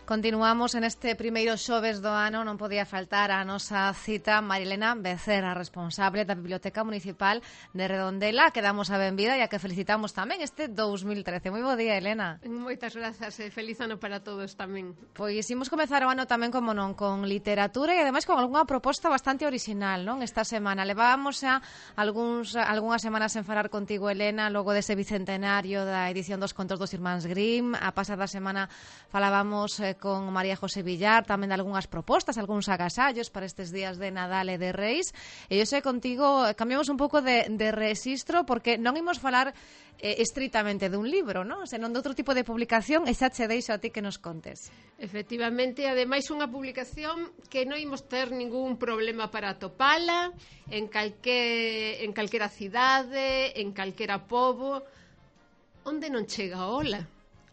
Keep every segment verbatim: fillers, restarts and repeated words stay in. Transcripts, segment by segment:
Continuamos en este primeiro xoves do ano, non podía faltar a nosa cita Marilena Becerra, responsable da Biblioteca Municipal de Redondela, que damos a benvida e a que felicitamos tamén este dous mil trece. Moi bo día, Elena. Moitas grazas e feliz ano para todos tamén. Pois imos comezar o ano tamén, como non, con literatura e ademais con algunha proposta bastante original, non? Esta semana levábamos xa algúns, algunhas semanas en falar contigo, Elena, logo dese bicentenario da edición dos contos dos irmáns Grimm. A pasada semana falábamos eh, con María José Villar tamén de algunhas propostas, algúns agasallos para estes días de Nadal e de Reis. E eu sei contigo, cambiamos un pouco de, de rexistro porque non imos falar eh, estritamente dun libro, non? Senón de outro tipo de publicación, e xa che deixo a ti que nos contes. Efectivamente, ademais unha publicación que non imos ter ningún problema para atopala en calque, en calquera cidade, en calquera pobo, onde non chega a ola.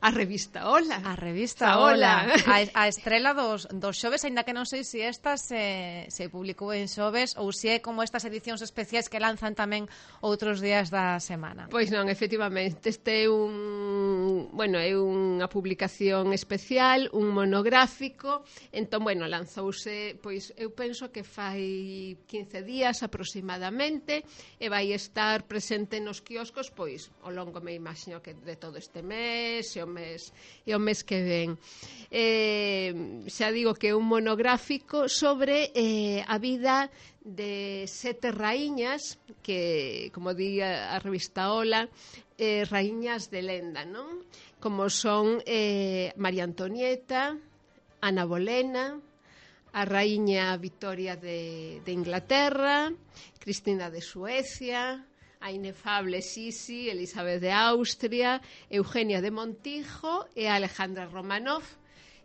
A revista Ola. A revista Ola. A, a estrela dos, dos xoves, aínda que non sei se esta se, se publicou en xoves ou se é como estas edicións especiais que lanzan tamén outros días da semana. Pois non, efectivamente, este é un, bueno, é unha publicación especial, un monográfico. Entón, bueno, lanzouse, pois eu penso que fai quince días aproximadamente e vai estar presente nos quioscos, pois, ao longo me imagino que de todo este mes, e o mes e o mes que ven. Eh, xa digo que é un monográfico sobre eh, a vida de sete raíñas que, como di a, a revista Ola, eh, raíñas de lenda, non? Como son eh, María Antonieta, Ana Bolena, a raíña Victoria de, de Inglaterra, Cristina de Suecia, a inefable Sisi, Elizabeth de Austria, Eugenia de Montijo e a Alejandra Romanov,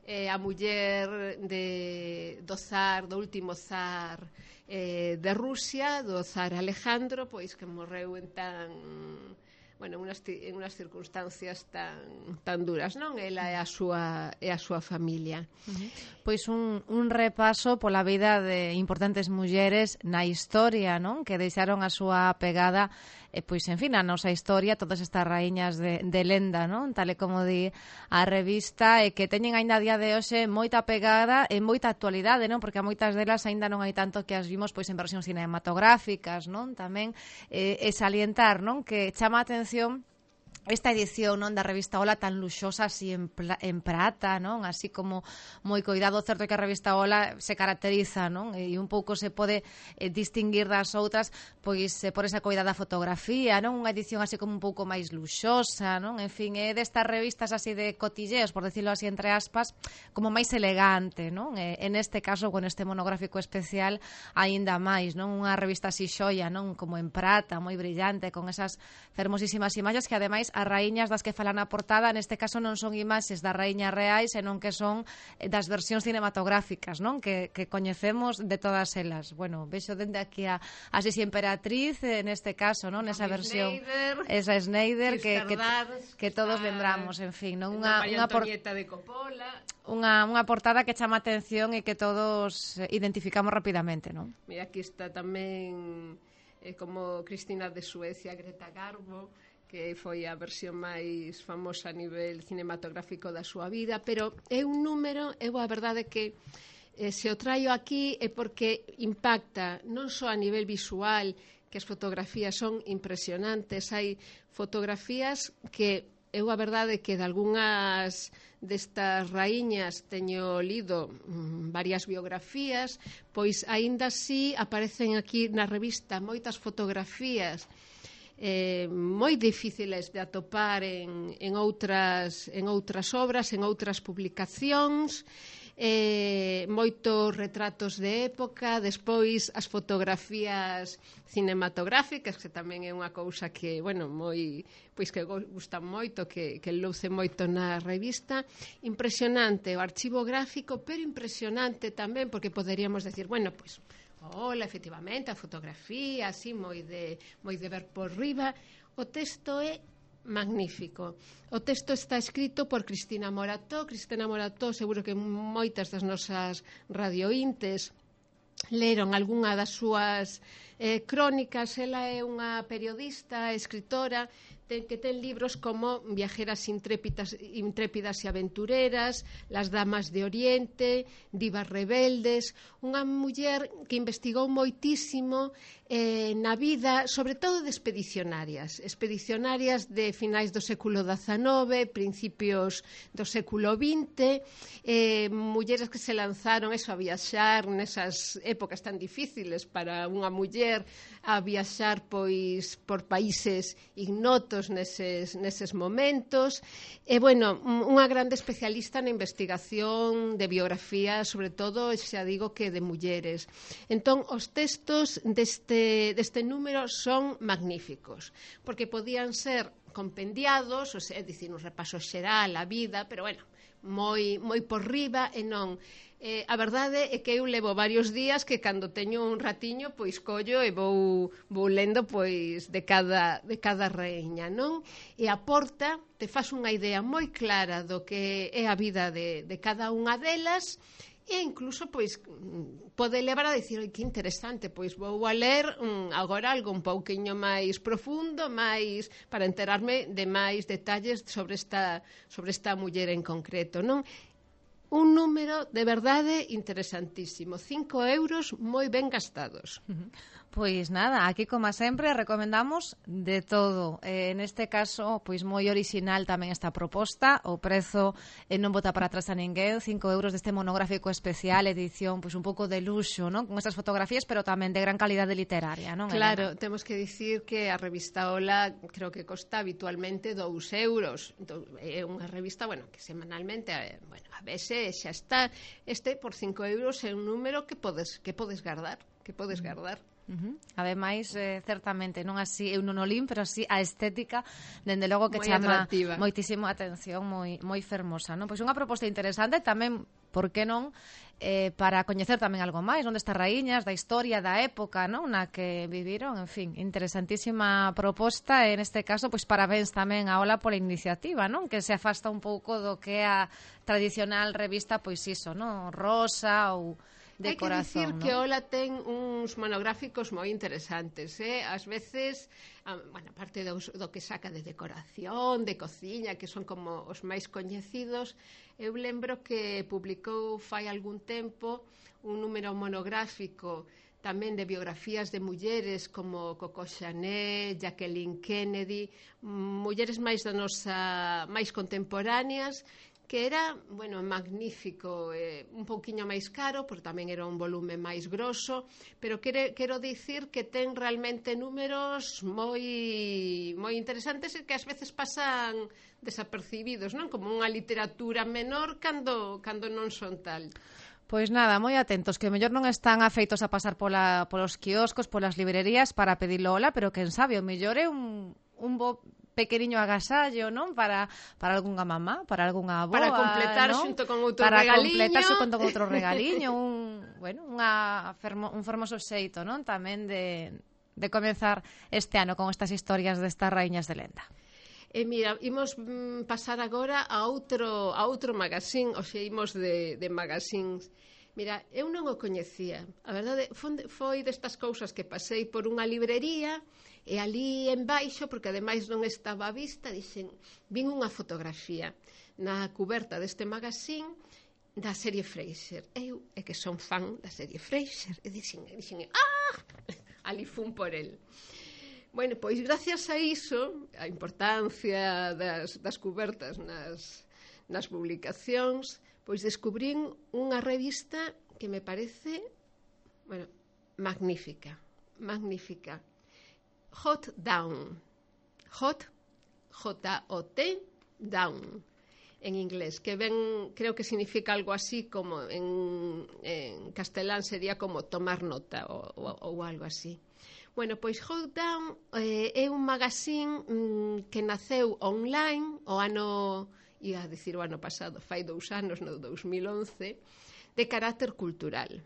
eh, a muller de, do zar, do último zar eh, de Rusia, do zar Alejandro, pois que morreu en tan... bueno, en unas, en unas circunstancias tan, tan duras, non? Ela é a súa, é a súa familia. Uh-huh. Pois un, un repaso pola vida de importantes mulleres na historia, non? Que deixaron a súa pegada, eh, pois, en fin, a nosa historia, todas estas raíñas de, de lenda, non? Tal e como di a revista, e que teñen aínda a día de hoxe moita pegada e moita actualidade, non? Porque a moitas delas aínda non hai tanto que as vimos pois en versións cinematográficas, non? Tamén eh, e salientar, non? Que chama a atención esta edición, non, da revista Ola tan luxosa así en, pla, en prata, non? Así como moi coidado. Certo é que a revista Ola se caracteriza, non? E un pouco se pode eh, distinguir das outras pois eh, por esa coidada fotografía, non? Unha edición así como un pouco máis luxosa, non? En fin, é destas revistas así de cotilleos, por decirlo así entre aspas, como máis elegante, non? E, en este caso, con este monográfico especial, aínda máis, non? Unha revista así xoia, non? Como en prata, moi brillante, con esas fermosísimas imaxes que ademais as raíñas das que falan a portada, neste caso non son imaxes das raíñas reais, senón que son das versións cinematográficas, non? Que, que coñecemos de todas elas. Bueno, vexo dende aquí a, a Sisi Emperatriz, neste caso, non? Nesa versión, Schneider, esa Schneider que, que, Dars, que todos lembramos, en fin, non? Unha, María unha por... Antonieta de Coppola. Unha, unha portada que chama a atención e que todos identificamos rapidamente, non? Mira, aquí está tamén eh, como Cristina de Suecia, Greta Garbo, que foi a versión máis famosa a nivel cinematográfico da súa vida, pero é un número, eu a verdade que eh, se o traio aquí é porque impacta non só a nivel visual, que as fotografías son impresionantes, hai fotografías que eu a verdade que de algunhas destas raíñas teño lido mmm, varias biografías, pois aínda así aparecen aquí na revista moitas fotografías Eh, moi difíciles de atopar en, en, outras, en outras obras, en outras publicacións, eh, moitos retratos de época, despois as fotografías cinematográficas, que tamén é unha cousa que, bueno, moi, pois que gusta moito, que, que luce moito na revista. Impresionante o archivo gráfico, pero impresionante tamén, porque poderíamos decir, bueno, pois Ola, efectivamente, a fotografía, así, moi de, moi de ver por riba. O texto é magnífico. O texto está escrito por Cristina Morató. Cristina Morató, seguro que moitas das nosas radiointes leron algunha das súas eh, crónicas. Ela é unha periodista, escritora, ten, que ten libros como Viajeras intrépidas, intrépidas e aventureras, Las damas de Oriente, Divas rebeldes, unha muller que investigou moitísimo eh, na vida, sobre todo de expedicionarias, expedicionarias de finais do século dezanove, principios do século vinte, eh, mulleres que se lanzaron eso, a viaxar nesas épocas tan difíciles para unha muller, a viaxar pois por países ignotos neses, neses momentos, e bueno, unha grande especialista na investigación de biografía, sobre todo, xa digo que de mulleres. Entón, os textos deste deste número son magníficos, porque podían ser compendiados, o sea, é dicir, un repaso xeral a vida, pero bueno, moi, moi por riba, e non. Eh, a verdade é que eu levo varios días que cando teño un ratiño pois collo e vou, vou lendo pois de cada, de cada reina, non? E aporta, te faz unha idea moi clara do que é a vida de, de cada unha delas, e incluso pois pode levar a dicir, que interesante, pois vou a ler um, agora algo un pouquiño máis profundo, máis para enterarme de máis detalles sobre esta sobre esta muller en concreto, non? Un número de verdade interesantísimo, cinco euros moi ben gastados. Pois nada, aquí como sempre recomendamos de todo. Eh, neste caso, pois moi orixinal tamén esta proposta, o prezo eh, non bota para atrás a ninguén, cinco euros deste monográfico especial, edición pois un pouco de luxo, non? Con estas fotografías, pero tamén de gran calidade literaria, non? Claro, Elena? Temos que dicir que a revista Ola creo que costa habitualmente dous euros. É unha revista, bueno, que semanalmente, bueno, a veces xa está, este por cinco euros é un número que podes que podes guardar, que podes guardar. Uh-huh. Ademais, eh, certamente, non así eu non o lín, pero así a estética, dende logo que moi chama atractiva. Moitísimo a atención, moi moi fermosa, non? Pois unha proposta interesante tamén, por que non, eh, para coñecer tamén algo máis, non, destas raíñas, da historia, da época, non, na que viviron, en fin, interesantísima proposta, e neste caso, pois parabéns tamén a Ola pola iniciativa, non? Que se afasta un pouco do que é a tradicional revista, pois iso, non? Rosa ou de Hai que corazón, dicir ¿no? que Ola ten uns monográficos moi interesantes, eh? Ás veces, a, bueno, aparte do, do que saca de decoración, de cociña, que son como os máis coñecidos, eu lembro que publicou fai algún tempo un número monográfico tamén de biografías de mulleres como Coco Chanel, Jacqueline Kennedy, mulleres máis da nosa, máis contemporáneas, que era, bueno, magnífico, eh, un pouquiño máis caro, porque tamén era un volume máis grosso, pero quero, quero dicir que ten realmente números moi moi interesantes e que ás veces pasan desapercibidos, non? Como unha literatura menor cando, cando non son tal. Pois nada, moi atentos, que mellor non están afeitos a pasar pola, polos quioscos, polas librerías para pedilo Ola, pero quen sabe, o mellor é un, un bo pequeniño agasallo, non? Para, para algunha mamá, para algunha avoa, para completar non? xunto con outro para regaliño. Para completar xunto con outro regaliño, un, bueno, unha fermo, un fermoso xeito, non? Tamén de, de comenzar este ano con estas historias destas raíñas de lenda. E mira, imos mm, pasar agora a outro, a outro magazín, o xe imos de, de magazines. Mira, eu non o coñecía. A verdade, foi destas cousas que pasei por unha librería e ali en baixo, porque ademais non estaba a vista, dixen, vin unha fotografía na cuberta deste magazín da serie Frasier. Eu é que son fan da serie Frasier. E dixen, dixen ah! Ali fun por el. Bueno, pois gracias a iso, a importancia das, das cubertas nas, nas publicacións, pois descubrín unha revista que me parece, bueno, magnífica, magnífica. Hot Down. Hot, J O T, Down, en inglés, que ben, creo que significa algo así como, en, en castelán sería como tomar nota ou, ou, ou algo así. Bueno, pois Hot Down eh, é un magazín mm, que naceu online o ano, ia a dicir o ano pasado, fai dous anos, no dous mil once, de carácter cultural.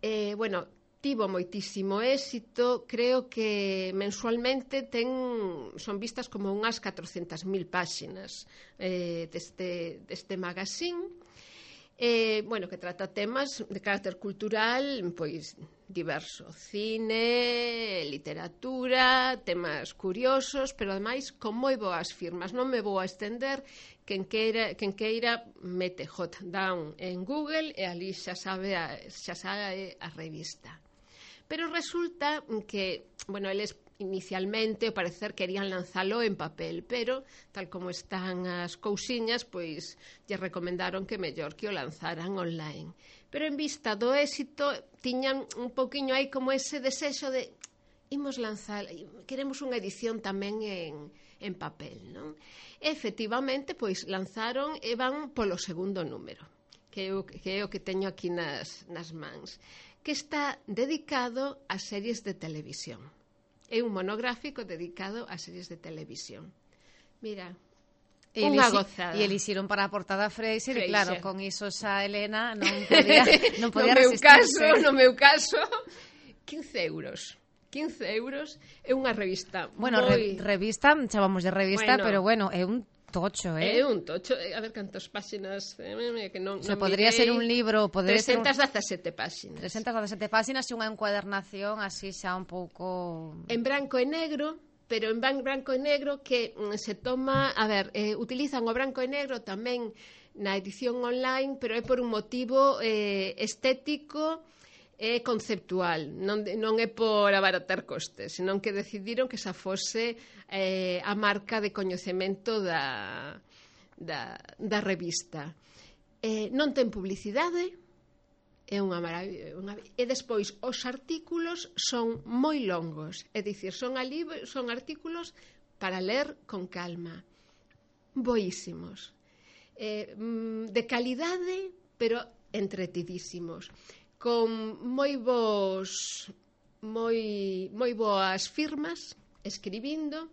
Eh, bueno, tivo moitísimo éxito, creo que mensualmente ten, son vistas como unhas catrocentas mil páxinas eh, deste, deste magazín, eh, bueno, que trata temas de carácter cultural, pois diverso, cine, literatura, temas curiosos, pero ademais con moi boas firmas. Non me vou a estender, quen queira, quen queira mete Hot Down en Google e ali xa sabe a, xa sabe a revista. Pero resulta que, bueno, eles inicialmente, ao parecer, querían lanzalo en papel, pero, tal como están as cousiñas, pois, lle recomendaron que mellor que o lanzaran online. Pero en vista do éxito, tiñan un pouquiño aí como ese desexo de imos lanzar, queremos unha edición tamén en, en papel, non? E, efectivamente, pois, lanzaron e van polo segundo número, que é o que, é o que teño aquí nas, nas mans, que está dedicado a series de televisión. É un monográfico dedicado a series de televisión. Mira, e unha elixi, gozada. E elixieron para a portada Freixer, e claro, Freixer. con iso xa Elena non podía, non podía no meu resistirse. caso, no meu caso, quince euros. quince euros é unha revista Bueno, moi... re, revista, chamamos de revista, Bueno, pero bueno, é un tocho, eh? É un tocho, a ver cantas páxinas, que non, Se non podría mirei, ser un libro, podría trescentas ser un... dezasete páxinas. trescentas dezasete páxinas e unha encuadernación así xa un pouco... En branco e negro, pero en branco e negro que mm, se toma, a ver, eh, utilizan o branco e negro tamén na edición online, pero é por un motivo eh, estético e conceptual, non, non é por abaratar costes, senón que decidiron que esa fose eh, a marca de coñecemento da, da, da revista. Eh, non ten publicidade, é unha maravilla, unha... e despois os artículos son moi longos, é dicir, son, ali, son artículos para ler con calma, boísimos, eh, de calidade, pero entretidísimos, con moi bons moi, moi boas firmas escribindo,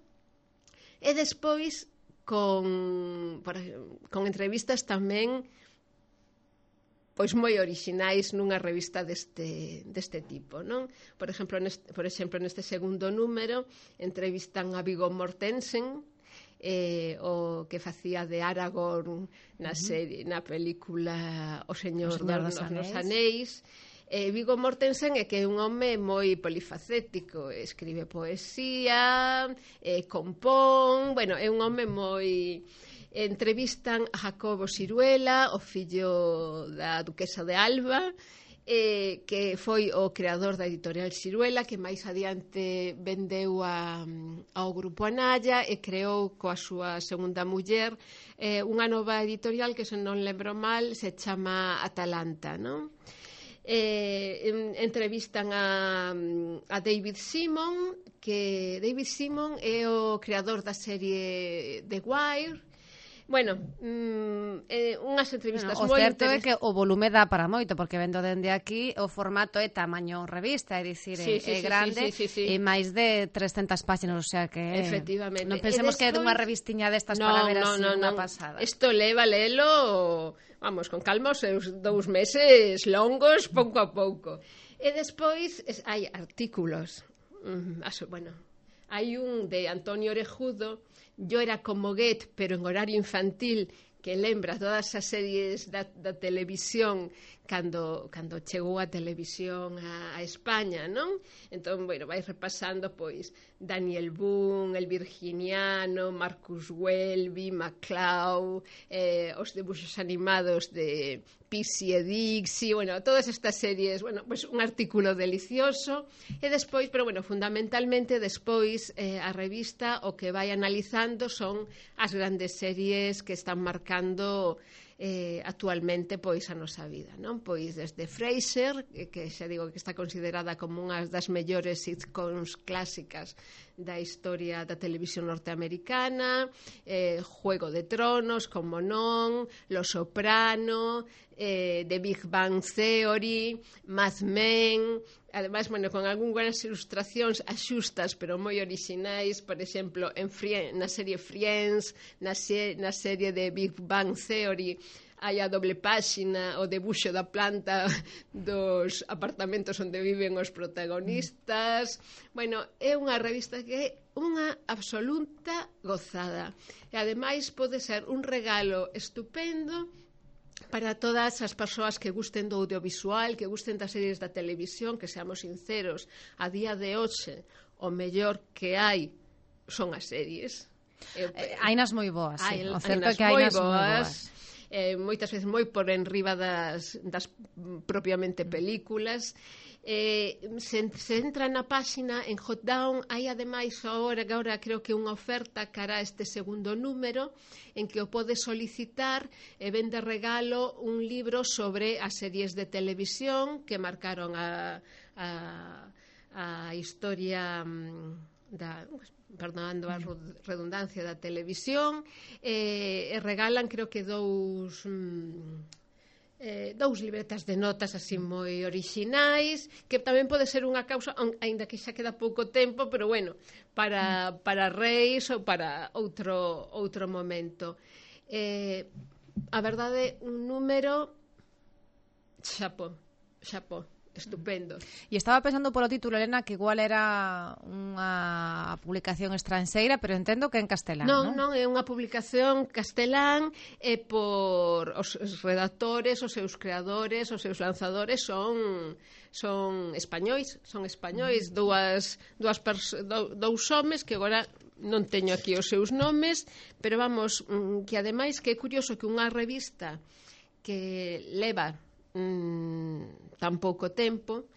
e despois con, por, con entrevistas tamén pois moi orixinais nunha revista deste, deste tipo, non? Por exemplo, neste, por exemplo, neste segundo número entrevistan a Viggo Mortensen, eh, o que facía de Aragorn na, serie, na película O Señor, o Señor dos, dos Anéis. Eh, Viggo Mortensen é que é un home moi polifacético, escribe poesía, eh, compón, bueno, é un home moi... Entrevistan a Jacobo Siruela, o fillo da duquesa de Alba, eh, que foi o creador da editorial Siruela, que máis adiante vendeu a, ao Grupo Anaya e creou coa súa segunda muller eh, unha nova editorial que, se non lembro mal, se chama Atalanta, non? Eh, entrevistan a, a David Simon, que David Simon é o creador da serie The Wire. Bueno, mm, eh, unhas entrevistas bueno, moi interesantes. O certo interes... é que o volume dá para moito, porque vendo dende aquí o formato é tamaño revista, é dicir, sí, é, sí, é sí, grande, sí, sí, sí, sí. e máis de trescentas páxinas, o sea que... Efectivamente. Non pensemos despois... que é dunha revistiña destas no, para ver no, así no, unha no. pasada. Isto leva lelo, vamos, con calma os seus dous meses longos, pouco a pouco. E despois es, hai artículos. Mm, aso, bueno, hai un de Antonio Orejudo, Yo era como Goethe, pero en horario infantil, que lembra todas as series da, da televisión cando, cando chegou a televisión a, a España, non? Entón, bueno, vai repasando, pois, Daniel Boone, El Virginiano, Marcus Welby, MacLeod, eh, os debuxos animados de Pixie e Dixie, bueno, todas estas series, bueno, pois un artículo delicioso, e despois, pero bueno, fundamentalmente despois eh, a revista o que vai analizando son as grandes series que están marcando eh, actualmente pois a nosa vida, non? Pois desde Frasier, que xa digo que está considerada como unha das mellores sitcoms clásicas da historia da televisión norteamericana, eh, Juego de Tronos, como non, Los Soprano, eh, The Big Bang Theory, Mad Men, ademais, bueno, con algunhas ilustracións axustas, pero moi orixinais, por exemplo, en Friends, na serie Friends, na, se, na serie de Big Bang Theory, hai a doble páxina, o debuxo da planta dos apartamentos onde viven os protagonistas. Bueno, é unha revista que é unha absoluta gozada. E ademais pode ser un regalo estupendo para todas as persoas que gusten do audiovisual, que gusten das series da televisión, que seamos sinceros, a día de hoxe o mellor que hai son as series. Eh, hai nas moi boas, sí. Hai, O certo hai é que hai nas moi boas. boas. Eh, moitas veces moi por enriba das, das propiamente películas. Eh, se, se entra na páxina en Hotdown, hai ademais agora, agora creo que unha oferta cara a este segundo número en que o podes solicitar e ven de regalo un libro sobre as series de televisión que marcaron a, a, a historia da... perdonando a redundancia da televisión, eh, e regalan creo que dous mm, eh, dous libretas de notas así moi orixinais, que tamén pode ser unha causa, aínda que xa queda pouco tempo, pero bueno, para, para reis ou para outro, outro momento. Eh, a verdade, un número xapó, xapó. Estupendo. E estaba pensando polo título, Elena, que igual era unha publicación estranxeira, pero entendo que en castelán, non? Non, non, é unha publicación castelán e por os redactores, os seus creadores, os seus lanzadores son son españois, son españois, dúas, dúas dou, dous homes que agora non teño aquí os seus nomes, pero vamos, que ademais que é curioso que unha revista que leva Mm, tan pouco tempo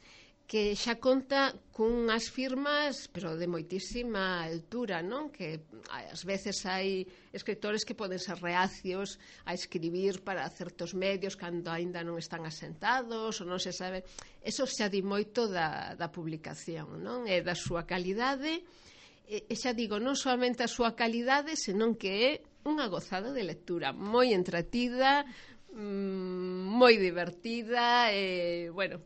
que xa conta cunhas firmas pero de moitísima altura, non? Que ás veces hai escritores que poden ser reacios a escribir para certos medios cando aínda non están asentados ou non se sabe. Eso xa di moito da, da publicación, non? E da súa calidade, e, e xa digo, non solamente a súa calidade, senón que é unha gozada de lectura, moi entretida, moi divertida e, bueno,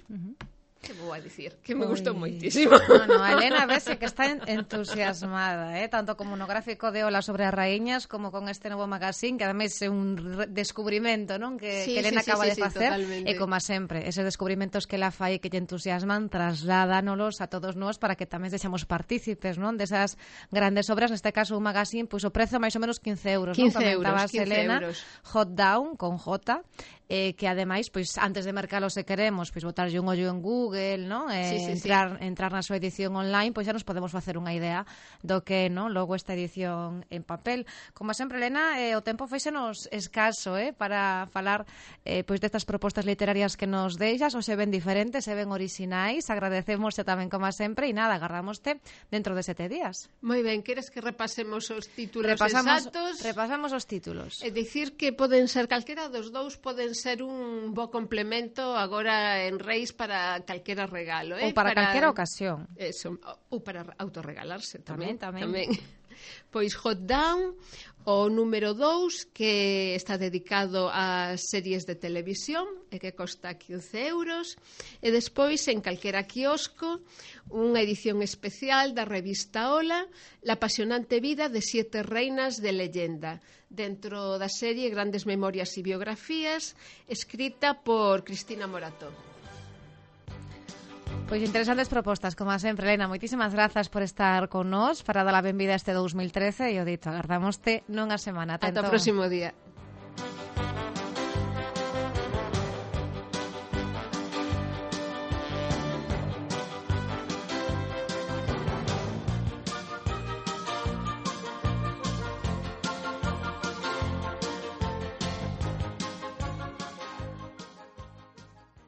uh-huh. que vou a dicir? Que me Oy. gustou moitísimo. No, no, a Elena vese que está entusiasmada, eh? Tanto como no gráfico de Ola sobre as raíñas como con este novo magazín, que ademais é un descubrimento, non? Que, sí, que Elena sí, acaba sí, de facer, sí, e como sempre, eses descubrimentos que ela fai que lle entusiasman, trasládanos a todos nós para que tamén sexamos partícipes, non? Desas grandes obras, neste caso un magazín, pois o prezo máis ou menos quince euros, non? Comentabas, Elena, Hotdown, con J, eh, que ademais, pois antes de mercalo se queremos, pois botarlle un ollo en Google, non? Eh, sí, sí, entrar, sí. entrar na súa edición online, pois xa nos podemos facer unha idea do que, non? Logo esta edición en papel. Como sempre, Elena, eh, o tempo feixenos escaso, eh, para falar eh, pois destas propostas literarias que nos deixas, ou se ven diferentes, se ven orixinais, agradecemosте tamén como sempre, e nada, agardámoste dentro de sete días. Moi ben, queres que repasemos os títulos repasamos, exactos? Repasamos os títulos. É dicir que poden ser calquera dos dous, poden ser un bo complemento agora en Reis para calquera regalo, eh? Ou para, para calquera ocasión. Eso, ou para autorregalarse tamén, tamén, tamén. Pois Hotdown, o número dous, que está dedicado a series de televisión e que costa quince euros, e despois en calquera quiosco unha edición especial da revista Ola, La apasionante vida de siete reinas de leyenda, dentro da serie Grandes memorias e biografías, escrita por Cristina Morató. Pois interesantes propostas, como sempre, Elena. Moitísimas grazas por estar con nós para dar a benvida a este dous mil trece e o dito, agardámoste nunha semana. Ata o próximo día.